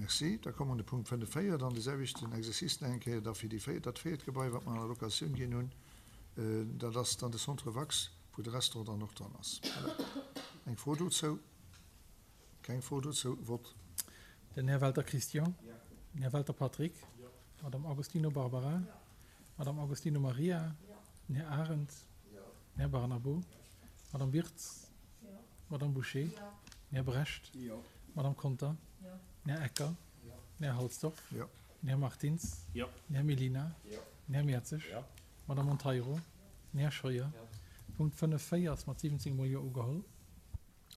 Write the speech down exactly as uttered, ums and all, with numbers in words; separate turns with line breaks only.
Merci. Da komme mer un de Punkt fënnef véier, dann de selwechten Exercice nach eng Kéier da fir déi véier, dat véiert Gebai, wat mer an der Locatioun ginn hunn. Dat ass dann de Centre Vax, wou de Restaurant dann och dran ass. Voilà. Eng Fro dozou? Keng Fro dozou. Vott.
Den Här Welter Christian. Den Här Welter Patrick. D'Madame Agostino Barbara. D'Madame Agostino Maria. Den Här Arendt. Den Här Barnabo. D'Madame Wirtz. D'Madame Bouché. Den Här Brecht. D'Madame Conter. Den Här Ecker. Den Här Halsdorf. Den Här Martins. Den Här Mellina. Den Här Mertzig. D'Madame Monteiro. Den Här Scheuer. Punkt fënnef véier ass mat siwwenzéng mol Jo ugeholl.